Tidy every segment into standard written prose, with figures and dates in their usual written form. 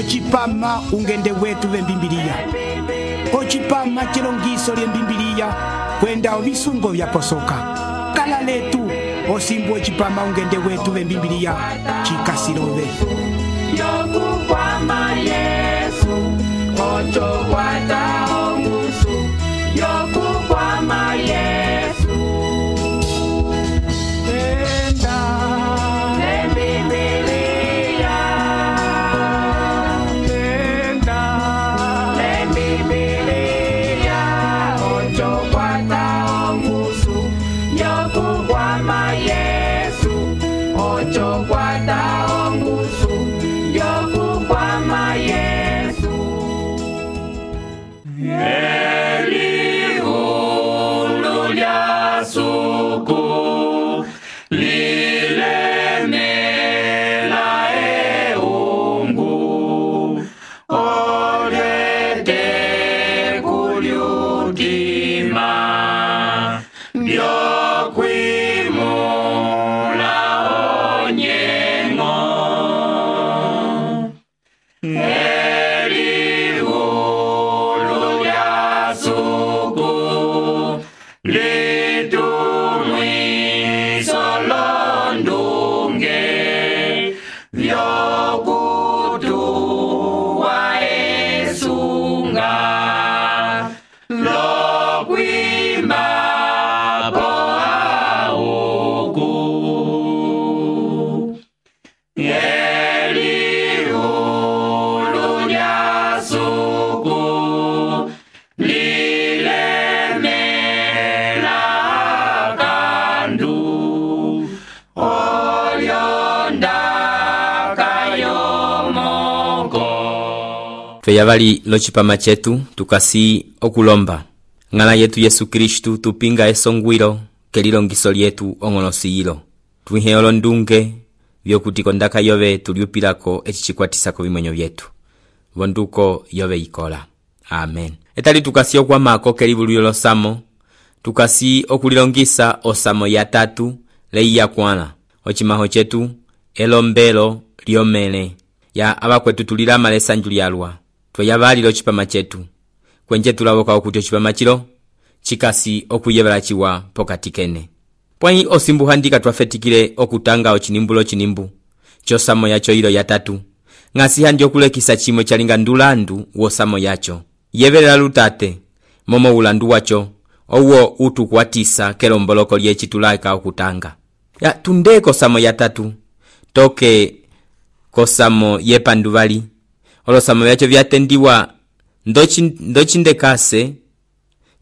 ocipama ungende wetu vembimbiliya, ocipama cilongiso lyembimbiliya kwenda ovisungo vyaposoka. Kala letu osimbu ocipama ungende wetu vembimbiliya cikasilove. Yokukwama Yesu, ocho kwata ongusu. Yokukwama Yesu, enda lembibiliya, enda lembibiliya, ocho kwata ongusu. Yokukwama Yesu, ocho kwata ongusu. Yokukwama Yesu. Eliulu lya suku lilemela eungu olyete kulyutima byokwimula onyengo. Eliulu lya suku litumwiso londunge vyokutuwa esunga lokwima po auku. Eliulu lya suku lilemela kandu olyonda kayomoko. Tweya bali locipama cetu tukasi okulomba ng'ala yetu Yesu Kristu tupinga esongwilo kelilongiso lyetu ong'olosiyilo twihe olondunge vyokuti kondaka yove tuliupilako eci cikwatisako vimwenyo vyetu vonduko yove ikola. Amen. Etali tukasi okwamako kelivulilo losamo tukasi okulilongisa osamo ya tatu leiya kwana ocimaho cetu elombelo lyomele ya abakwetu tulilama lesanju lyalwa tweya bali locipama cetu kwenje tulaboka okuti ocipama cilo cikasi okuyebala ciwa pokati kene pwai osimbuhandika twafetikile okutanga ocinimbulo cinimbu cosamo yaco ilo ya tatu ng'asi handi okulekisa cimwe calinga ndulandu wosamo yaco yebelela lutate momo ulandu waco owo utukwatisa kelomboloko lyeci tulaika okutanga ya tunde kosamo ya tatu toke kosamo yepanduvali olosamo yaco vyatendiwa ndocindekase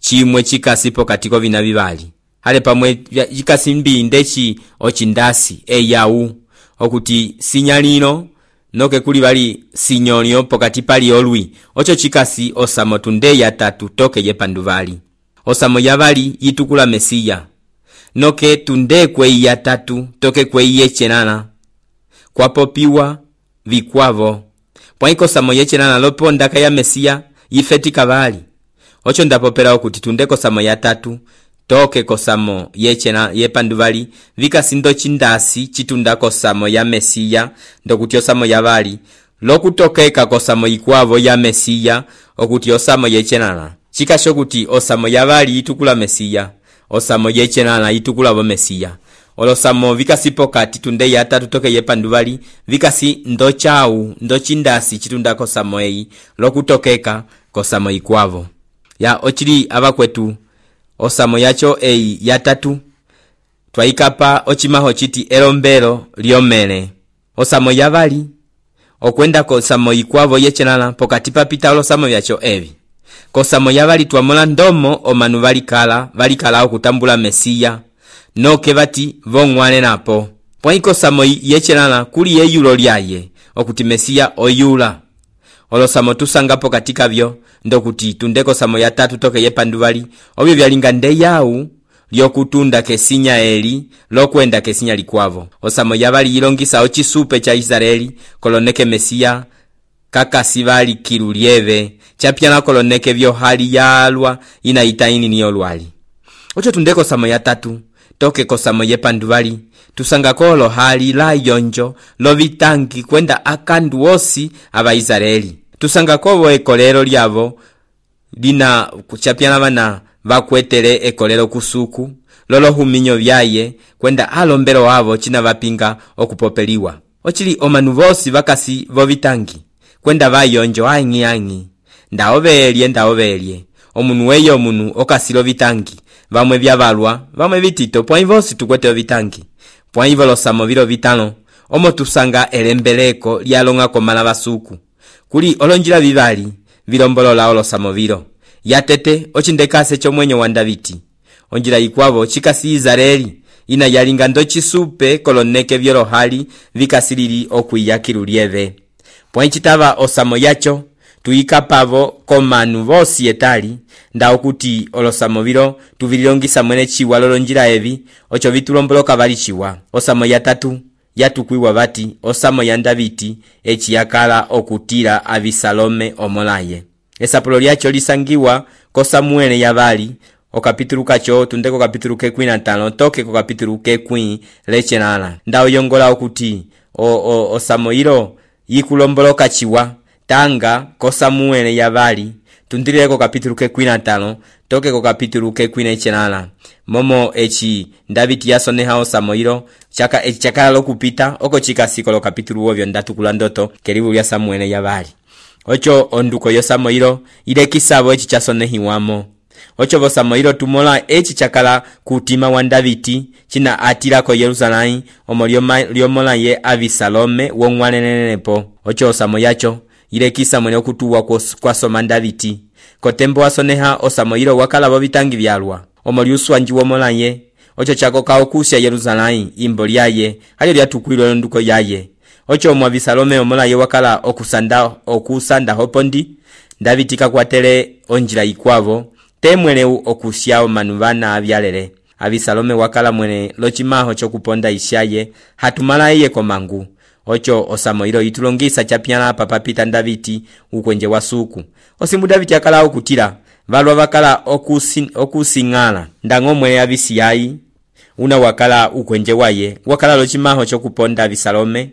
cimwe cikasi pokati kovina vivali hale pamwe cikasi mbindeci ocindasi eyawu okuti sinyalino noke kuli bali sinyolio pokati pali olwi ocho cikasi osamo tunde ya tatu toke yepanduvali osamo yabali yitukula Mesiya noke tunde kwei ya tatu toke kwei yechenana kwapopiwa vikwavo pwaiko samo yechenana lopo ndaka ya Mesiya yifetika bali ocho ndapopela okuti tunde kosamo ya tatu toke kosamo yechena yepanduvali vikasi ndocindasi citunda kosamo ya Mesiya ndokuti osamo yabali lokutokeka kosamo ikwavo ya Mesiya okuti osamo yechenana cikasho kuti osamo yabali yitukula Mesiya osamo yechenana yitukula bo Mesiya olosamo vikasi pokati tunde ya tatu toke yepanduvali vikasi ndocindasi citunda kosamo eyi lokutokeka kosamo ikwavo ya ochili abakwetu osamo yacho eyi ya tatu twaikapa ocimaho citi elombelo lyomele osamo yabali okwenda kosamo ikwavo yechenana pokati papita olosamo yacho evi kosamo yabali twamola ndomo omanu valikala okutambula Mesiya noke bati vong'wane napo pwaiko samo yechenana kuli yeyulo lyaye okuti Mesiya oyula olosamo tusangapo katika vyo ndokuti tundeko samo ya tatu toke yepanduvali obyo vyalinga ndeyawu lyokutunda kesinya eli lokwenda kesinya likwavo osamo yabali yilongisa ocisupe cha Israeli koloneke Mesiya kakasi bali kilulieve chapyana koloneke vyo hali yalwa inaita ini niyo lwali ocho tundeko samo ya tatu toke kosamo yepanduvali tusangako lohali la yonjo lovitangi kwenda akandu wosi aba Israeli. Tusangako ekolero lyavo lina kuchapyana bana bakwetele ekolero kusuku lolo huminyo byaye kwenda alombero wavo china vapinga okupopeliwa. Ochili omanu vosi bakasi vovitangi kwenda bayonjo angi ndaobelie omunu weyo omunu okasilo vitangi bamwe byabalwa bamwe bitito point vosi tukwete vitangi point volosamo biro vitano omo tusanga elembeleko lyalonga komala basuku kuli olonjira bibali bilombolola olosamo biro yatete ochindekase chomwenyo wa Davidi onjira ikwavo chikasi Israeli ina yalinga ndo chisupe koloneke byolohali vikasilili okuiyakilulieve point chitava osamo yacho tuikapavo komanu vosi etali nda okuti olosamo biro tuvililongisa mwene chiwa lolonjira evi ocho vitulomboloka bali chiwa. Osamo ya tatu yatukwiwa bati osamo ya Davidi echiyakala okutira Abisalome omolaye. Esapulo lyacho lisangiwa ko Samuele yabali okapitulu kacho tundeko kapitulu ke15 toke ko kapitulu ke10 lechenala nda oyongola okuti osamo iro yikulomboloka chiwa tanga ko Samuele yabali tundireko kapitulu ke15 toke ko kapitulu ke10 momo echi Davidi yasoneha osamo iro chakala lokupita oko chikasiko lo kapitulu wovyo ndatu kulandoto keribu lya Samuele yabali ocho onduko yo Samuelo ile kisabo echi chasonehiwamo ocho bo Samuelo tumola echi chakala kutima wa Davidi china atira ko Yerusalemu omoliomola ye Abisalome wongwanenenepo ocho osamo yacho ile kisa mwene okutuwa kwa soma Davidi kotembo wasoneha Samuelo wakala bobitangi byalwa omoliuswanji womola ye ocho chako kaokusya Yerusalemu imbo lyaye halyo lyatukwilo nduko yaye ocho mwa Abisalome omola ye wakala okusanda hopondi Davidi kakwatele onjira ikwavo temwele okusya manuvana abyalele Abisalome wakala mwene lochimaho chokuponda isyaye hatumala iye komangu ocho Samuelo itulongisa chapyana papapita Davidi ukwenje wasuku osimbu Davidi akala okutira balwa bakala okusingala ndango mwele abisiyai una wakala ukwenje waye wakala lochimaho chokuponda Abisalome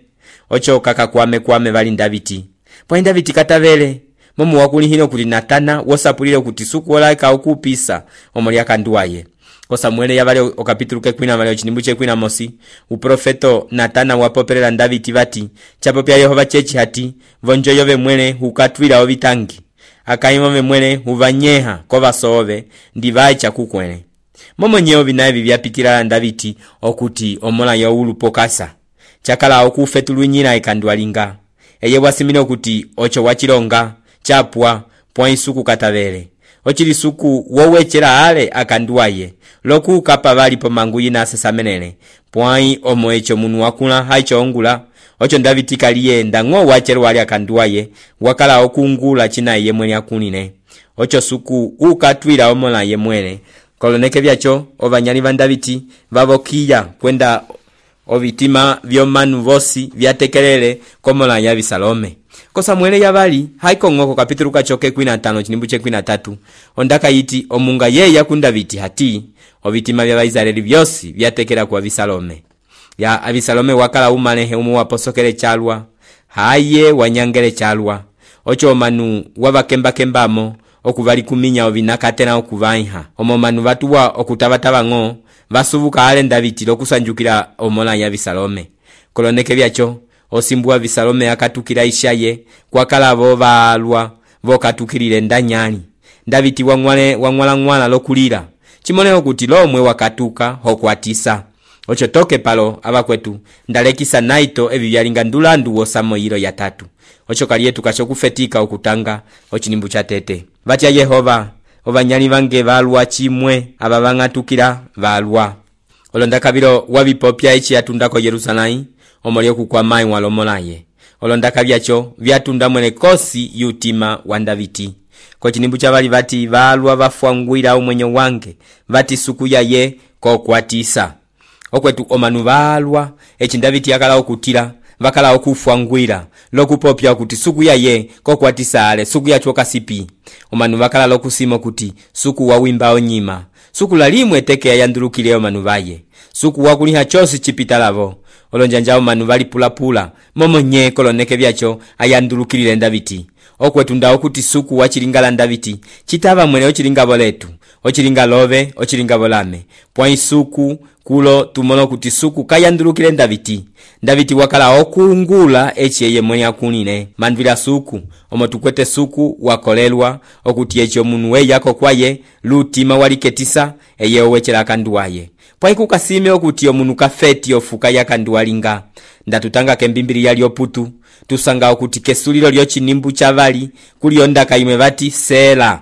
ocho kaka kwame bali Davidi pwa Davidi katavele momu wakulihino kuti Natana wosapulile kuti suku olaika okupisa omoli akanduwaye ko Samuele yabali okapitulu ke10 bali ochinimbu che10 uprofeto Natana wapopelela Davidi bati chapopya Yehova chechi hati vonjo yove mwene hukatwila obitangi akaimo mwene huvanyeha ko basove ndivaye chakukwene momo nyeo binaye byapitira Davidi okuti omola yo ulupokasa chakala okufetulu nyina ikandwalinga eye wasimino kuti ocho wachilonga chapwa point suku katavele ochili suku wowechera ale akanduwaye loku kapa bali pomangu yina asesamenele point omo echo munu wakula haicho ongula ocho Davidi kaliye ndango wachero wali akanduwaye wakala okungula china yemwe yakunine ocho suku ukatwila omola yemwele koloneke byacho obanyali ba Davidi babokiya kwenda obitima byomanu vosi byatekelele komola ya Abisalome ko Samuele yabali haiko ngoko kapitulu kachoke 15 chinimbu che 13 ondaka yiti omunga ye yakunda Davidi hati obitima bya Israeli byosi byatekela kwa Abisalome ya Abisalome wakala umalehe umu waposokele chalwa haye wanyangele chalwa ocho manu wabakemba kembamo okuvali kuminya obinakatena okuvaiha omo manu batuwa okutabataba ngo basubuka ale Davidi lokusanjukira omola ya Abisalome koloneke byacho osimbu Abisalome akatukira ishaye kwakala bo balwa bokatukirire ndanyani Davidi wangwala lokulira chimoneho kuti lomwe wakatuka hokwatisa ocho toke palo abakwetu ndalekisa naito ebibyalinga ndulandu wo Samuelo ya tatu ocho kalietu kachokufetika okutanga ochinimbu cha tete batya Yehova obanyali bange balwa chimwe ababangatukira balwa olonda kabiro wabipopya echi yatundako Yerusalemu omolyo kukwa mai walomolaye olonda kabyacho byatunda mwene kosi yutima wa Davidi ko chinimbu cha bali bati balwa bafwangwira omwenyo wange bati suku yaye ko kwatisa okwetu omanu balwa echi Davidi yakala okutira vakala okufwangwira lokupopya okuti suku yaye kokwatisa ale suku yacho kasipi. Omanu vakala lokusima okuti suku wawimba onyima. Suku lalimwe teke yandulukile omanu vaye. Suku wakuliha chosi chipita lavo. Olonjanja omanu valipulapula momo nye koloneke vyacho ayandulukilile Ndaviti. Okwetunda okuti suku wachilingala Ndaviti chitava mwene ochilingavo letu, ochilinga love, ochilinga volame. Pwa suku kulo tumono kuti suku kayandulukile Ndaviti wakala okuungula echiyeye mwenye akunine. Manvila suku omo tukwete suku wakolelwa okuti echi omunu we yako kwaye lutima waliketisa eye owechela kanduwaye. Pwa kukasime okuti omunu kafeti ofuka yakanduwalinga. Ndatutanga kembimbiri yali oputu tusanga okuti kesulilo lyo chinimbu chavali kuli ondaka imwe vati sela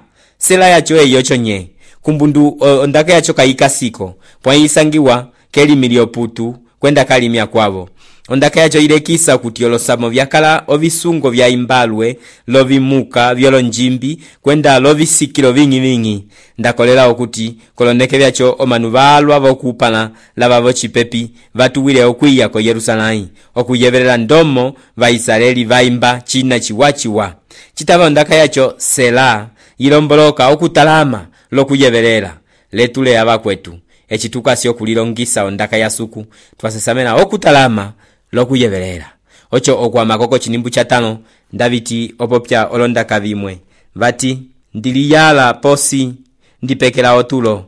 yacho eyo chonye kumbundu ondaka yacho kayikasiko pwa isangiwa kelimili oputu kwenda kalimya kwavo. Ondaka yacho ilekisa kuti olosamo vyakala ovisungo vya imbalwe lovimuka vyolo njimbi kwenda lovisikilo vingi. Ndakolela okuti koloneke vyacho omanu valwa vokupana lavavo chipepi vatuwile okwiya ko Yerusalai okuyevelela ndomo va Israeli vaimba china chiwachiwa. Chitava ondaka yacho sela ilomboloka okutalama lokuyevelela letule abakwetu echitukasi okulilongisa ondaka ya suku twasesamena okutalama lokuyevelela. Ocho okwama koko chinimbu cha 5 Ndaviti opopya olondaka vimwe vati ndiliyala posi ndipekela otulo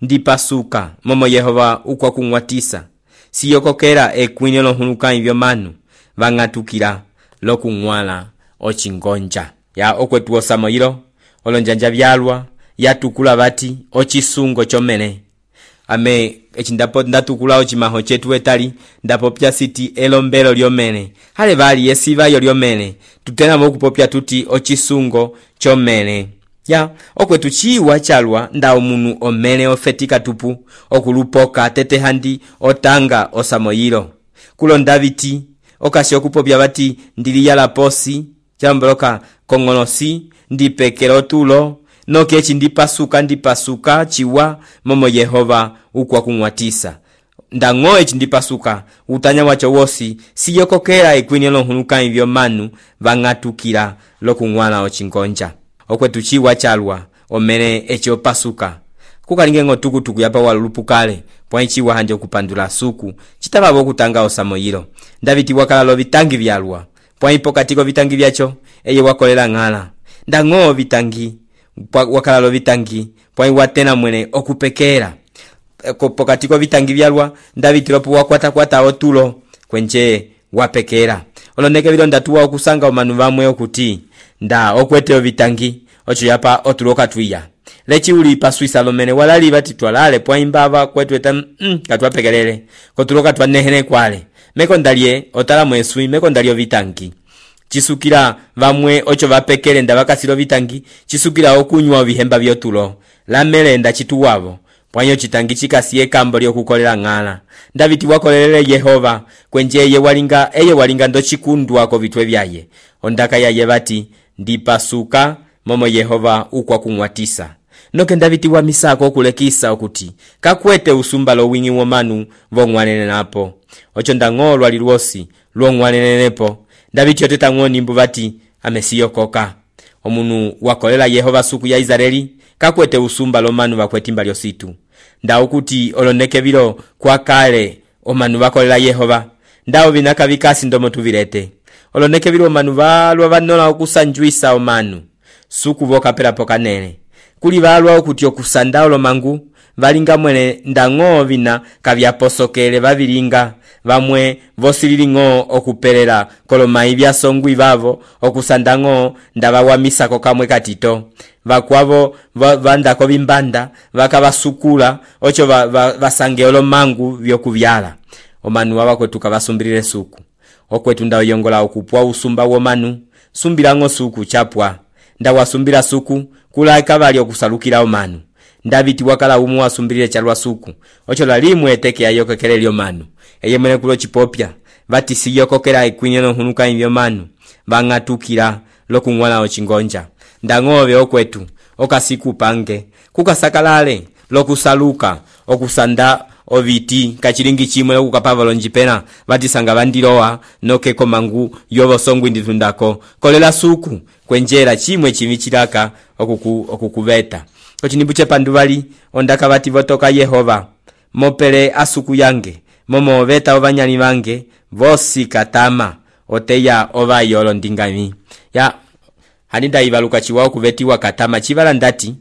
ndipasuka momo Yehova ukwa kungwatisa siyokokera ekwinyo lohuluka ivyo manu vangatukila lokungwala ochingonja ya okwetu osamoyilo olonjanja vyalwa yatukula vati ochisungo chomene. Ame echindapo ndatukula ochimaho chetu etali ndapopya siti elombelo lyomene hale vali yesiva yo lyomene tutena mokupopya tuti ochisungo chomene ya okwetu chiwa chalwa nda omunu omene ofetika tupu okulupoka tete handi otanga osamoyilo kulo Ndaviti okasi okupopya vati ndiliyala posi chamboloka kongonosi ndipekelo tulo nokechi ndipasuka chiwa momo Yehova ukwa kungwatisa. Ndango echi ndipasuka utanya wacho wosi siyokokera ekwinyo lohuluka ivyo manu vangatukila lokungwala ochingonja. Okwetu chiwa chalwa omene echi opasuka kukalinge ngotukutuku yapa walupukale pwa chiwa hanje okupandula suku chitava okutanga osamoyilo. Ndaviti wakala lovitangi vyalwa pwa pokatiko vitangi vyacho eye wakolela ngala. Ndango vitangi wakala lovitangi pwa watena mwene okupekera pokatiko vitangi vyalwa Ndaviti lopu wakwata otulo kwenje wapekera. Oloneke vilonda tuwa okusanga omanu vamwe okuti nda okwete ovitangi ocho yapa otulo katwiya lechi uli paswisa lomene walali vati twalale pwa imbava kwetu eta katwapekelele kotulo katwanehene kwale meko ndalie otala mwesui meko ndalie ovitangi chisukila vamwe ocho vapekele nda vakasilo vitangi chisukila okunywa vihemba vyotulo lamele nda chituwavo pwanyo chitangi chikasiye kambo lyokukolela ngala. Ndaviti wakolelele Yehova kwenje eye walinga ndo chikundwa ko vitwe vyaye. Ondaka yaye vati ndipasuka momo Yehova ukwa kungwatisa. Noke Ndaviti wa misako okulekisa okuti kakwete usumba lo wingi womanu vongwanene napo. Ocho ndangolwa liluosi luongwanene nepo. Ndaviti oteta ngoni mbu vati amesiyokoka. Omunu wakolela Yehova suku ya Israeli kakwete usumba lo manu vakwetimba lyositu. Nda ukuti oloneke vilo kwa kale omanu vakolela Yehova ndao vinaka vikasi ndomo tuvilete. Oloneke vilo omanu valwa vanola okusanjuisa omanu suku voka pela pokanene kuli valwa okuti okusanda olomangu valinga mwene ndango vina kavyaposokele vavilinga vamwe vosililingo okupelela kolomai vyasongwi vavo okusandango ndava wamisako kamwe katito vakwavo vandako vimbanda vakavasukula ocho vasange olomangu vyokuvyala omanu wavakwetuka vasumbirire suku okwetu nda oyongola okupwa usumba womanu sumbirango suku chapwa nda wasumbira suku kula kavali okusalukira omanu. Ndaviti wakala umu wasumbirire chalwa suku ocho lalimwe teke ayokekelele omanu eye mwene kulo chipopya vati siyokokera ekwinyo nohunuka ivyo manu vangatukila lokungwala ochingonja. Ndangove okwetu okasiku pange kukasakalale lokusaluka okusanda oviti kachilingi chimwe okukapava lonjipena vatisanga vandilowa noke komangu yovosongwi nditundako kolela suku kwenjera chimwe chimichilaka okukuveta kochinimbu chepandu vali ondaka vati votoka Yehova mopele asuku yange momo veta ovanyali vange vosi katama oteya ovayolo ndingami ya hanida ivaluka chiwa okuvetiwa katama chivala ndati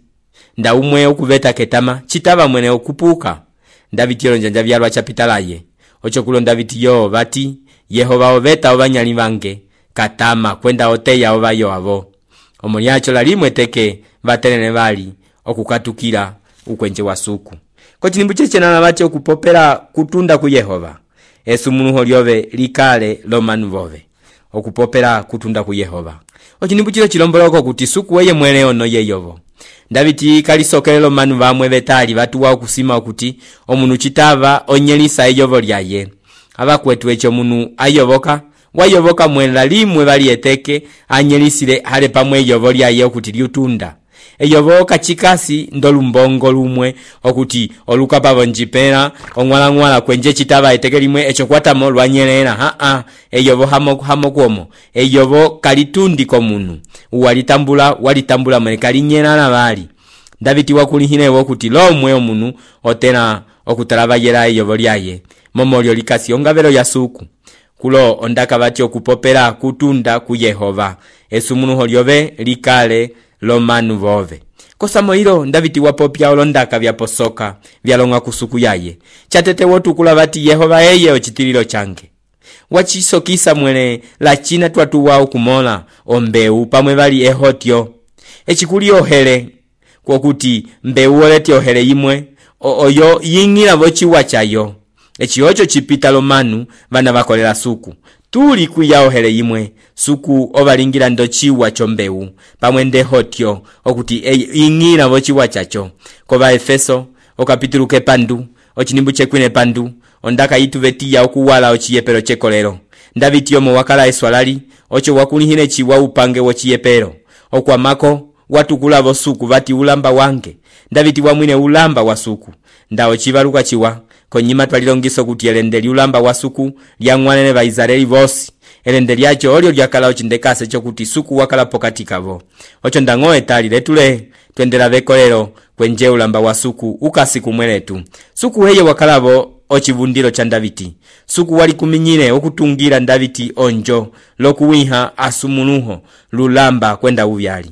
nda umwe okuveta ketama chitava mwene okupuka ndavitilo njanja vyalwa chapitalaye ochokulo ndavitiyo vati Yehova oveta ovanyali vange katama kwenda oteya ovayo avo omulyacho lalimwe teke vatelene vali okukatukila ukwenje wa suku kochinimbu chechenana vati okupopela kutunda ku Yehova esumunuho lyove likale lomanu vove okupopela kutunda ku Yehova ochinimbu chilo chilomboloko kuti suku weye mwene ono yeyovo ndaviti kalisokelelo manu vamwe vetali vatuwa okusima okuti omunu chitava onyelisa eyovo lyaye avakwetu echo munu ayovoka wayovoka mwela limwe vali eteke anyelisile hale pamwe eyovo lyaye okuti liutunda eyovo kachikasi ndolumbongo lumwe okuti olukapavo njipena ongwala kwenje chitava eteke limwe echo kwatamo lwanyelela eyovo hamo kuomo eyovo kalitundi komunu walitambula mwene kalinyelana vali ndaviti wakulihinewo okuti lomwe omunu otena okutalava yela eyovo lyaye momolyo likasi ongavelo ya suku kulo ondaka vati okupopela kutunda ku Yehova esumunuho lyove likale lomanu vove kosamo ilo ndaviti wapopya olondaka vyaposoka vyalonga kusuku yaye chatete wotukula vati Yehova eye ochitililo change wachisokisa mwene la china twatuwa okumola ombeu pamwe vali ehotyo echikuli ohele kwokuti mbeu oleti ohele imwe oyo ying'ila vochiwa chayo echiocho chipita lomanu vana vakolela suku tuli kuya ohele imwe suku ovalingira ndochiwa chombeu pamwe ndehotyo okuti ing'ila vochiwa chacho kova Efeso okapitulu kepandu ochinimbu chekwine pandu ondaka ituvetiya okuwala ochiyepelo chekolero ndavitiyomo wakala eswalali ocho wakulihine chiwa upange wochiyepelo okwamako watukula vosuku vati ulamba wange ndaviti wamwine ulamba wa suku ndawo chivaluka chiwa konyima twalilongiso kuti elende ulamba wa suku lyang'wanene va Israeli vosi elende lyacho olyo lyakala ochindekase chokuti suku wakala pokati kavo ocho ndang'o etali letule twendela vekolero kwenje ulamba wa suku ukasi kumweletu suku heye wakalavo ochivundilo cha Ndaviti suku wali kuminyile okutungira Ndaviti onjo lokuwiha asumunuho lulamba kwenda uvyali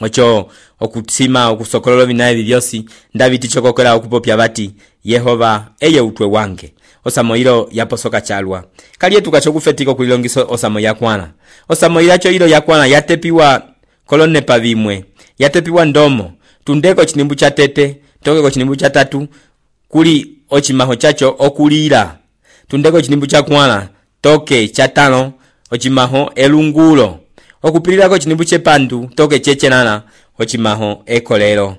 ocho okutsima okusokololo vinaye vivyosi Ndaviti chokokela okupopya vati Yehova eye utwe wange osamo ilo yaposoka chalwa kalietu kachokufetiko kulilongiso osamo yakwana osamo ilacho ilo yakwana yatepiwa kolone pavimwe yatepiwa ndomo tundeko chinimbu cha tete tokeko chinimbu cha tatu kuli ochimaho chacho okulira tundeko chinimbu cha kwana toke cha tano ochimaho elungulo okupilirako chinimbu chepandu toke chechenana ochimaho ekolero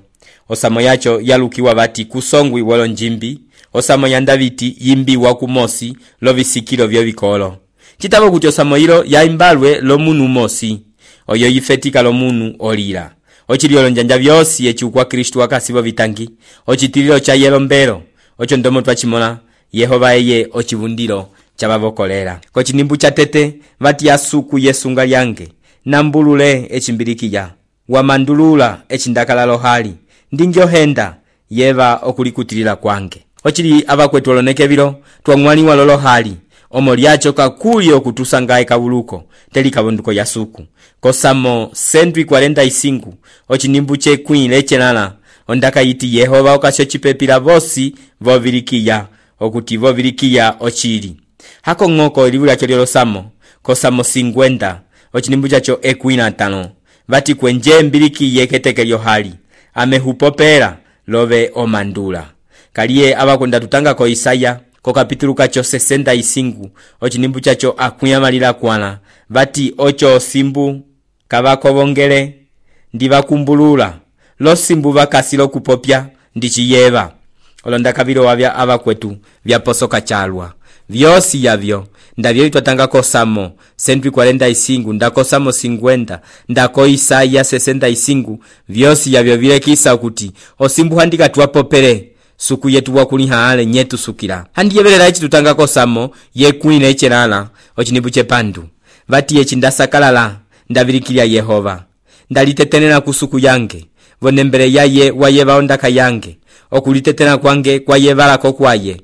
osamo yacho yalukiwa vati kusongwi wolo njimbi osamo ya Ndaviti yimbiwa kumosi lovisikilo vyovikolo chitavo kuti osamo ilo yaimbalwe lomunu mosi oyo yifetika lomunu olira ochiliolo njanja vyosi echukwa Kristu wakasivo vitangi ochitililo cha yelombelo ocho ndomo twachimona Yehova eye ochivundilo chavavokolera kochinimbu cha tete vati yasuku yesunga lyange nambulule echimbilikiya wamandulula echindakalalo hali ndinjohenda yeva okulikutilila kwange ochili avakwetu oloneke vilo twang'waliwa lolo hali omo lyacho kakuli okutusangaye kabuluko telikavonduko ya suku kosamo 145 ochinimbu chekwile echenala ondaka yiti Yehova okasyo chipepila vosi vovilikiya okuti vovilikiya ochili hako ng'oko ilivula cholilo samo kosamo 50 ochinimbu chacho ekwina tano vati kwenje mbilikiye ketekelyo hali amehupopela love omandula kaliye abakonda tutanga ko Isaya ko kapitulu kacho 65 ochinimbu chacho akuyamalira kwana vati ocho simbu kabakobongele ndivakumbulula lo simbu vakasilo kupopya ndichiyeva olonda kabilo wavya abakwetu vyaposoka chalwa vyosi yavyo ndavyo itwatanga kosamo 145 ndakosamo 50 ndako Isaya 65 vyosi yavyo vilekisa kuti osimbu handika tuwapopele suku yetu wakuliha ale nyetu sukila handi yevelela ichi tutangako samo yekwine echelala ochinimbu chepandu vati echi ndasakalala ndavilikilya Yehova ndalitetenela kusuku yange vonembele yaye wayeva ondaka yange okulitetela kwange kwayevalako kwaye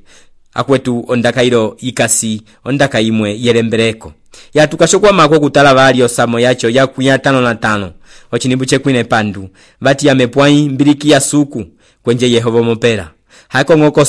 akwetu ondaka ilo ikasi ondaka imwe yelembeleko yatukashokwa mako kutala vali osamo yacho yakuya 5 ochinimbu chekwine pandu vati yamepwai mbiliki ya suku kwenje Yehova mopela hako ngoko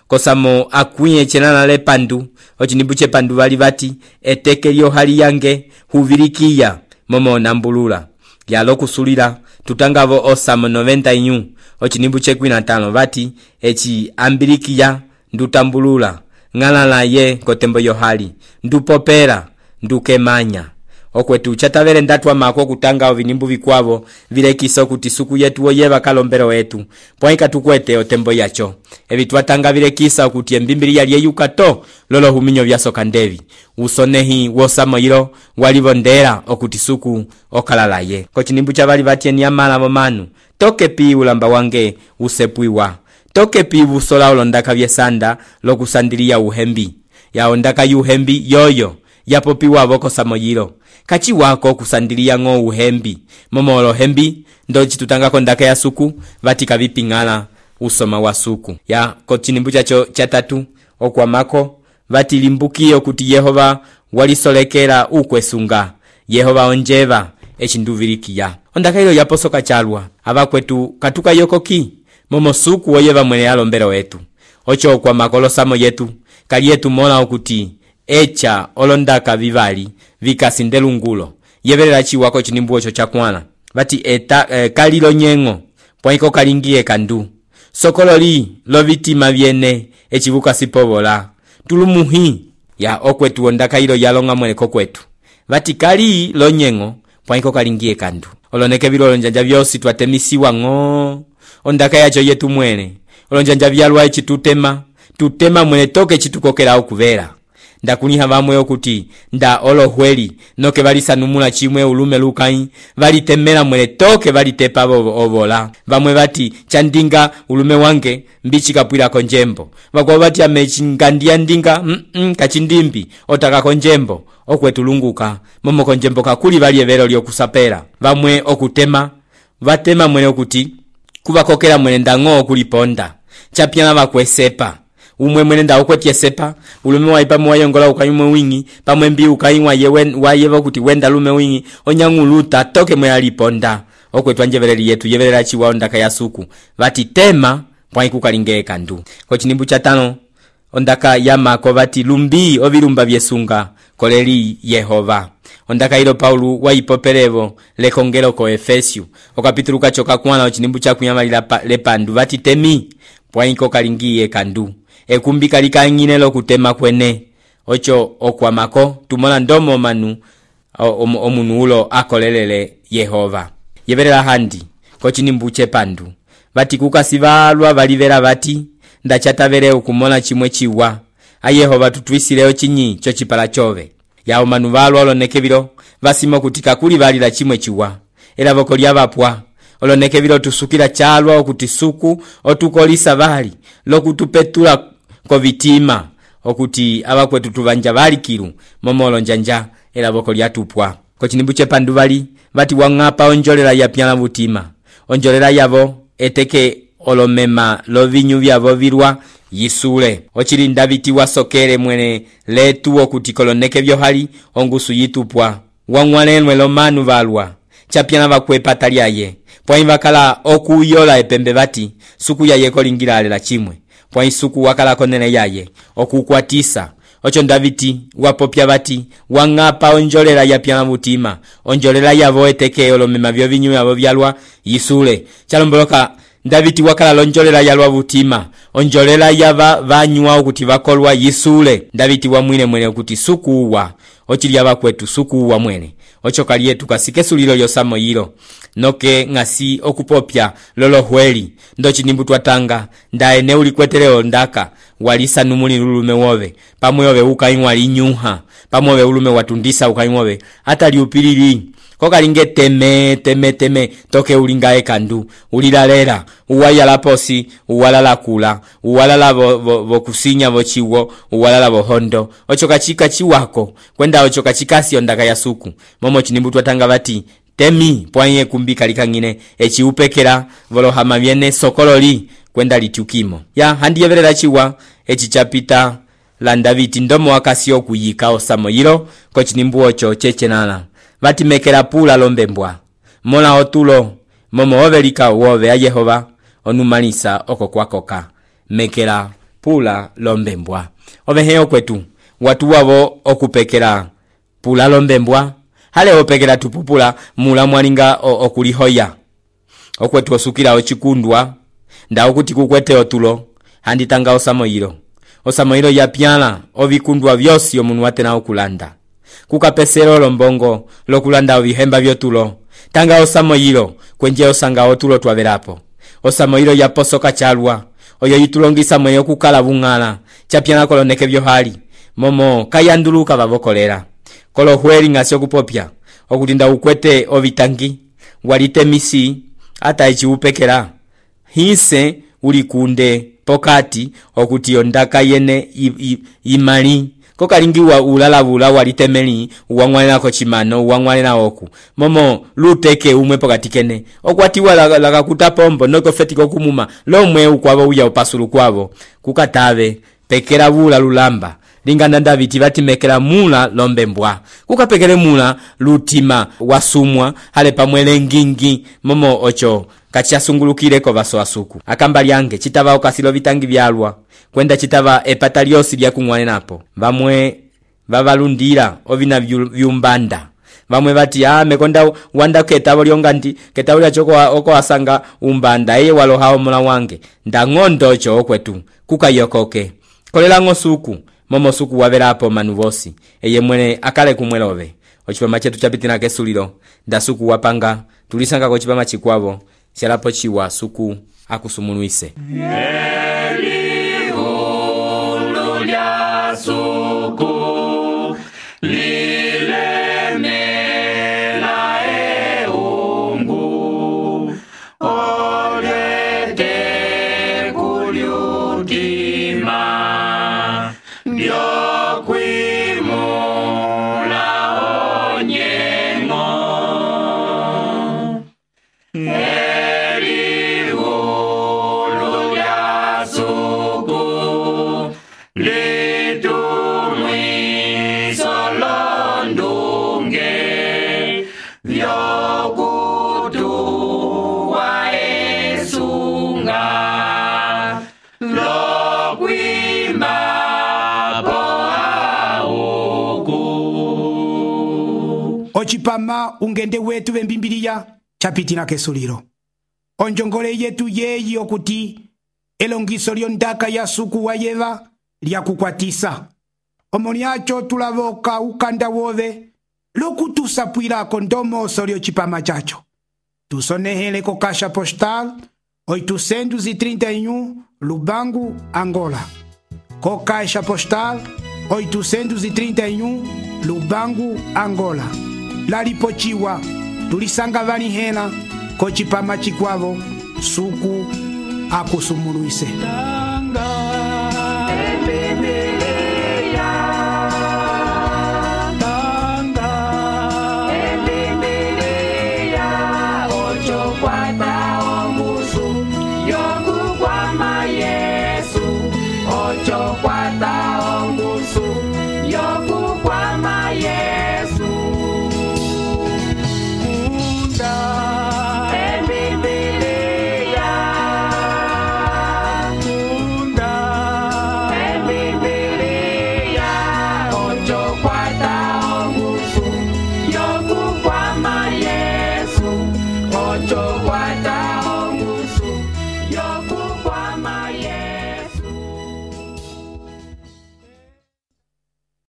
kosamo akuye chenana le pandu ochinimbu chepandu vali vati etekelyo hali yange huvilikiya momo nambulula yalo kusulila tutangavo osamo 91 ochinimbu chekwina 5 vati echi ambilikiya ndutambulula ng'alala ye kotembo yohali ndupopera ndukemanya okwetu chatavele ndatwa mako kutanga ovinimbu vikwavo vilekisa kuti suku yetu oyeva kalombero wetu poika tukwete otembo yacho evi twatanga vilekisa kuti embimbili yali yukato lolo huminyo vyasoka ndevi usonehi wosamo yilo walivondera okuti suku okalalaye kochinimbu chavali vati ni amala momanu toke pi ulamba wange usepwiwa toke pi busola olondaka vyesanda lokusandilia uhembi ya ondaka yuhembi yoyo yapopiwa voko samoyilo kachi wako kusandilia ngo uhembi momolo hembi ndo chitutangako ndaka ya suku vatika vipingala usoma wa suku ya kochinimbu chacho chatatu okwamako vati limbukio kuti Yehova walisolekera ukwesunga Yehova onjeva echinduvilikiya ondaka ilo yaposoka chalwa avakwetu katuka yokoki momo suku oyeva mwene alombero wetu ocho kwa makolo samo yetu kalietu mola okuti echa olondaka vivali vikasindelungulo yevelela chiwako chinimbu ocho chakwana vati kalilo nyengo poiko kalingie kandu sokololi lovitima vyene echivuka sipovola tulumuhi ya okwetu ondaka ilo yalonga mwene kokwetu vati kali lo nyengo poiko kalingie kandu oloneke vilo njanja vyosi twatemisiwa ngo ondaka yacho yetu mwene olonjanja vyalwa ichi tutema mwene toke chitukokela okuvera ndakuniha vamwe okuti nda olohweli noke valisanumula chimwe ulume lukai valitemela mwene toke valitepa ovola vamwe vati chandinga ulume wange mbichi kapwila konjembo vakwa vati amechingandia ndinga kachindimbi otaka konjembo okwetulunguka momo konjembo kakuli valievelo lyokusapela vamwe okutema vatema mwene okuti kuvakokela mwene ndango okuliponda chapyana vakwesepa umwe mwene nda okwetyesepa ulume waipa mwayongola ukayumwe wingi pamwe mbi ukayimwa wayeva kuti wenda lume wingi onyanguluta toke mwe aliponda okwetwa njeveleli yetu yevelela chiwa ondaka ya suku vati tema pwaikukalinge kandu kochinimbu cha 5 ondaka yamako vati lumbi ovilumba vyesunga koleli Yehova ondaka ilo Paulo waipopelevo lekongelo ko Efesio okapitulu kacho kakwana ochinimbu cha kuyamalila lepandu vati temi pwaiko kalingie kandu ekumbika likangine kutema kwene ocho okwamako tumona ndomo manu omunu ulo akolelele Yehova yevelela handi kochinimbu chepandu vati kukasivalwa valivera vati ndachatavele ukumona chimwe chiwa Yehova tutwisileo chinyi cho chipala chove yao manu valwa olonekevilo vasimo kutika kuli valila chimwe chiwa era voko lyavapwa olonekevilo tusukila chalwa okuti suku otukolisa vali lokutupetula kovitima okuti abakwetu tuvanja valikilu momolo njanja era voko lyatupwa kochinimbu chepandu vali vati wangapa onjolela yapyala vutima onjolela yavo eteke olomema lovinyu vyavo virwa yisule ochilinda viti wasokele mwene letu okuti koloneke vyohali ongusu yitupwa wangwalenwe lomanu valwa chapyana vakwepa talyaye pwayi vakala okuyola epembe vati suku yaye kolingira alela chimwe pwayi suku wakala konene yaye okukwatisa ocho ndaviti wapopya vati wangapa onjolela yapyana vutima onjolela yavo eteke olomema vyo vinyu yavo vyalwa yisule chalomboloka ndaviti wakala lonjolela yalwa vutima onjolela yava vanywa okuti vakolwa yisule ndaviti wamwine mwene okuti suku uwa ochili yava kwetu suku uwa mwene ocho kalietu kasikesulilo yosamo yilo noke ngasi okupopya lolo hweli ndo chinimbu twatanga ndaene ulikweteleo ndaka walisa numuli lulume wove pamwe ove ukaimwa linyuha pamwe ove ulume watundisa ukaimwove hata liupilili kokalinge teme toke ulinga ekandu ulilalera uwayala posi uwalala kula uwalala vokusinya vochiwo uwalala vohondo ocho kachika chiwako kwenda ocho kachikasi ondaka ya suku momo chinimbutwa tanga vati temi pwanye kumbika likangine echiupekera volohama vyene sokololi kwenda litukimo ya handi yeverera chiwa echichapita landa viti ndomo wakasi okuyika osamoyilo kochinimbu ocho chechenala vati mekera pula lombembwa mola otulo momo ovelika wove ya Yehova onumanisa oko kwakoka mekera pula lombembwa oveheo kwetu watu wavo okupekera pula lombembwa hale opekera tupupula mula mwalinga okulihoya okwetu osukira ochikundwa nda okuti kukwete otulo handitanga osamoyilo ya pyala ovikundwa vyosi omunu watena okulanda kukapesero lombongo lokulanda ovihemba vyotulo tanga osamoyilo kwenje osanga otulo twaverapo osamoyilo ya posoka chalwa oyo yitulongisa mweyo kukala bungala chapyala koloneke vyohali momo kayanduluka vavokolera kolo hweli ngasio kupopya okutinda ukwete ovitangi walite misi ata echiupekera hise ulikunde pokati okuti ondaka yene imali kokalingiwa ulalabula walitemeli uwangwalela ko chimano uwangwalela oku momo luteke umwe pokati kene okwatiwa laga kutapombo noko fetiko kumuma lomwe ukwabo uya upasulu kwabo kukatave pekera bula lulamba lingana Daviti vati mekera mula lombembwa kukapekere mula lutima wasumwa hale pamwele ngingi momo ocho kachasungulukire ko vaso asuku akamba lyange chitava okasilo vitangi vyalwa kwenda chitava epata lyosi lya kungwane napo vamwe vavalundira ovina vyumbanda vamwe vati mekonda wanda ketavo lyongandi ketavo lyachoko oko asanga umbanda eye walohao mola wange ndangondo ocho okwetu kukayokoke kolela ngosuku momo suku waverapo manuvosi eye mwene akale kumwelove ochipama chetu chapitina kesulilo ndasuku wapanga tulisanga ko chipama chikwavo sialapo chiwa suku akusumunuise Eliulu lya suku lilemela eungu olete kulyutima byokwimula onyengo Eliulu lya suku litumwiso londunge vyokutuwa esunga lokwima ochipama ungende wetu vembimbiliya chapitina kesulilo onjongole yetu yeyi okuti elongiso lyondaka ya suku wa yeva lyakukwatisa omoni acho tulavoka ukanda wove lokutusapwilako ndomoso lyochipama chacho tusonehele ko kasha postal 831 Lubangu, Angola. Ko kasha postal 831 Lubangu, Angola. Lalipochiwa tulisanga vani hena ko chipama chikwavo suku akusumuluise. Yo